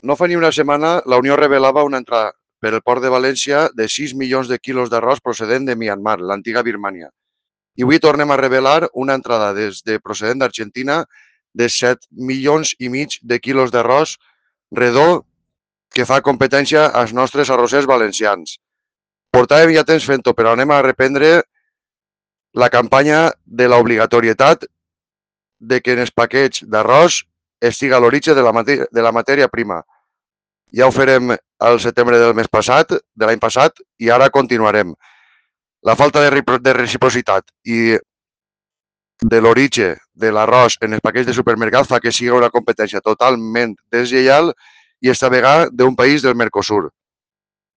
No fa ni una setmana la Unió revelava una entrada per el port de València de 6 milions de quilos d'arròs procedent de Myanmar, l'antiga Birmània. I avui tornem a revelar una entrada procedent d'Argentina de 7 milions i mig de quilos d'arròs redó que fa competència als nostres arrossers valencians. Portàvem ja temps fent-ho, però anem a reprendre la campanya de l'obligatorietat de que en els paquets d'arròs estiga l'origen de la matèria prima. Ja ho farem al setembre del mes passat, de l'any passat, i ara continuarem. La falta de reciprocitat i de l'origen de l'arròs en els paquets de supermercat fa que sigui una competència totalment deslleial i esta vegada d'un país del Mercosur.